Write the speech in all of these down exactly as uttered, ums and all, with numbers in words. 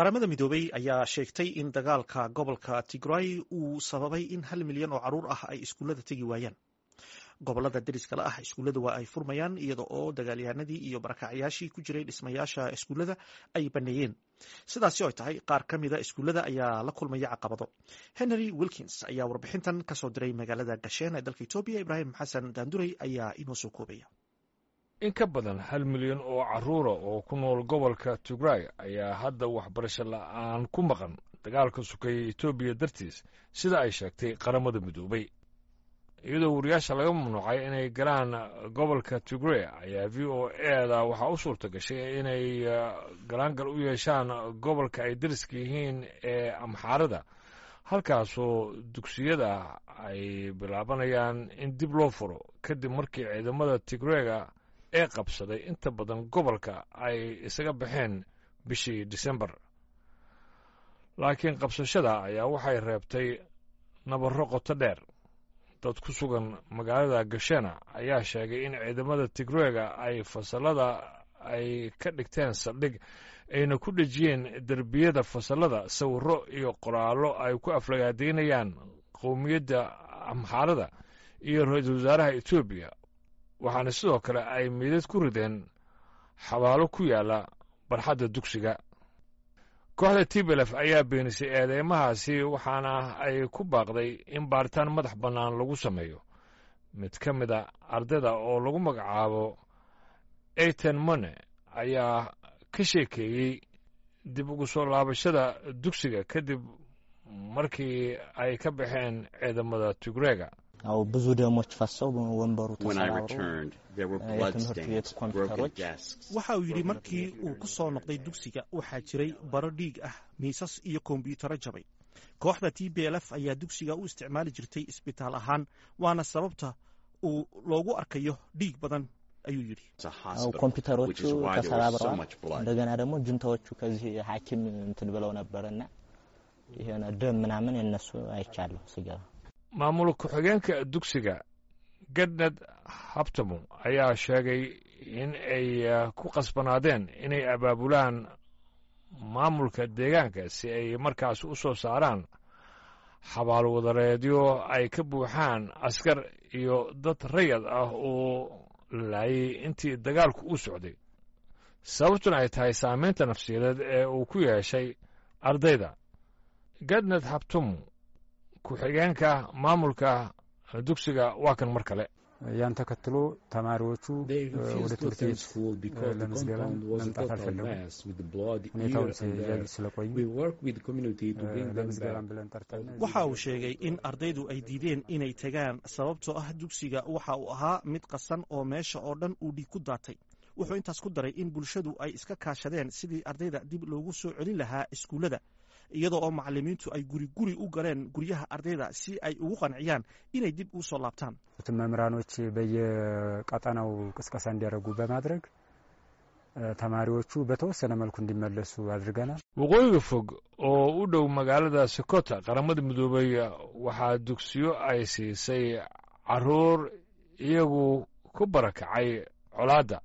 Qaramada Midoobey ayaa sheegtay in dagaalka gobolka Tigray uu sababay in hal milyan oo caruur ah ay iskuullada tegi waayaan. Gobolada deriska la ah iskuullada waa ay furmayaan, iyada oo dagaalyahanadii iyo barakacyaashii ku jiray dhismayaasha iskuullada ay baneeyeen. Sidaasi oo tahay, qaar ka mida iskuullada ayaa la kulmaya caqabado. Henry Wilkins ayaa warbixintan kasoo diray magaalada Gasheen ee dalka Etoobiya. Ibraahim Xasan Daandurey ayaa inoo soo koobaya. In ka badan hal milyan oo carruura oo ku nool gobolka Tigray ayaa hadda waxbarasho la'aan ku maqan dagaalka sokeeye Etoobiya dartiis, sida ay sheegtay Qaramada Midoobay. Iyadoo wariyaasha laga mamnuucay inay galaan gobolka Tigray ayaa V O A da waxaa u suurta gashay inay galaangal u yeeshaan gobolka ay deriska yihiin ee Amxaarada, halkaasoo dugsiyada ay bilaabanayaan in dib loo furo kadib markii ciidamada Tigreega ee qabsaday inta badan gobolka ay isaga baxeen bishii Disembar. Laakiin qabsashada ayaa waxay reebtay nabarro qoto dheer. Dad ku sugan magaalada Gashena ayaa sheegay in ciidamada Tigreega ay fasallada ay ka dhigteen saldhig, ayna ku dhejiyeen derbiyada fasallada sawirro iyo qoraallo ay ku aflagaadaynayaan qowmiyadda Amxaarada iyo ra-iisul wasaaraha Etoobiya. Waxaana sidoo kale ay meydad ku rideen xabaalo ku yaalla barxadda dugsiga. Kooxda T P L F ayaa beenisay eedeymahaasi, waxaana ay ku baaqday in baaritaan madax bannaan lagu sameeyo. Mid ka mid a ardayda oo lagu magacaabo Eten Mone ayaa ka sheekeeyey dib ugu soo laabashada dugsiga kadib markii ay ka baxeen ciidamada Tigreega. ያው ብዙ ደሞች ፈሰው ወንበሩ ተሰባብሮ የትምህርት ቤቱ ኮምፒውተሮች Waxa uu yidhi, markii uu ku soo noqday dugsiga waxaa jiray baro dhiig ah, miisas iyo kombiyuutarro jabay. Kooxda T P L F ayaa dugsiga u isticmaali jirtay isbitaal ahaan, waana sababta uu loogu arkayo dhiig badan, ayuu yidhi. ኮምፒውተሮቹ ተሰባብረዋል። እንደገና ደግሞ ጁንታዎቹ ከዚህ ሐኪም እንትን ብለው ነበርና የሆነ ደም ምናምን የነሱ አይቻለሁ ስገባ። Maamul ku-xigeenka dugsiga Gedned Habtamu ayaa sheegay in ay ku qasbanaadeen inay abaabulaan maamulka deegaanka si ay markaas u soo saaraan xabaalwadareedyo ay ka buuxaan askar iyo dad rayad ah oo laayay intii dagaalku u socday, sababtuna ay tahay saameynta nafsiyadeed ee uu ku yeeshay ardayda. Gedned Habtamu, ku-xigeenka maamulka dugsiga, waa kan mar kale. ያን ተከትሎ ተማሪዎቹ ወደ ትምህርት ቤት ለምዝገባ መምጣት አልፈለጉም። ሁኔታውን ሲያዩ ስለቆዩ ለምዝገባም ብለን ጠርተን Waxa uu sheegay in ardaydu ay diideen inay tagaan, sababtoo ah dugsiga waxa uu ahaa mid qasan oo meesha oo dhan uu dhiig ku daatay. Wuxuu intaas ku daray in bulshadu ay iska kaashadeen sidii ardayda dib loogu soo celin lahaa iskuullada, iyadoo oo macalimiintu ay guri guri u galeen guryaha ardayda si ay ugu qanciyaan inay dib u soo laabtaan. መምህራኖች በየቀጠናው ቅስቀሳ እንዲያደርጉ በማድረግ ተማሪዎቹ በተወሰነ መልኩ እንዲመለሱ አድርገናል። Waqooyiga fog oo u dhow magaalada Sokota, Qaramada Midoobay waxaa dugsiyo ay siisay carruur iyagu ku barakacay colaadda,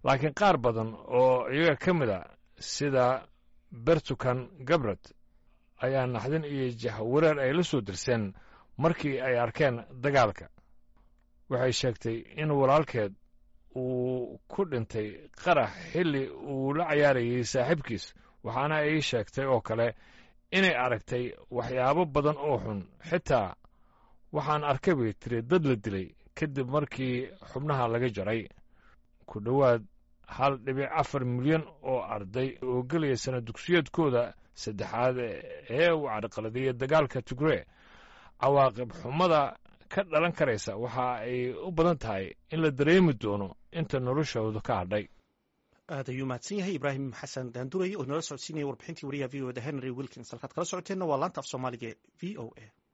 laakiin qaar badan oo iyaga ka mid a, sida Bertukan Gabrad, ayaa naxdin iyo jahwareer ay la soo dirseen markii ay arkeen dagaalka. Waxay sheegtay in walaalkeed uu ku dhintay qarax xilli uu la cayaarayay saaxiibkiis, waxaana ay sheegtay oo kale inay aragtay waxyaabo badan oo xun. Xitaa waxaan arkay, bay tiri, dad la dilay kadib markii xubnaha laga jaray. Ku dhowaad hal dhibic afar milyan oo arday oo gelaya sana dugsiyeedkooda saddexaad ee uu carqaladeeyey dagaalka Tigree, cawaaqib xumada ka dhalan karaysa waxa ay u badan tahay in la dareemi doono inta noloshooda ka hadhay. Aad ayuu mahadsan yahay Ibraahim Xasan Daanduray oo nala socodsiinaya warbixintii wariyaha V O da Henry Wilkins. Halkaad kala socoteenna waa laanta af Soomaaliga V O A.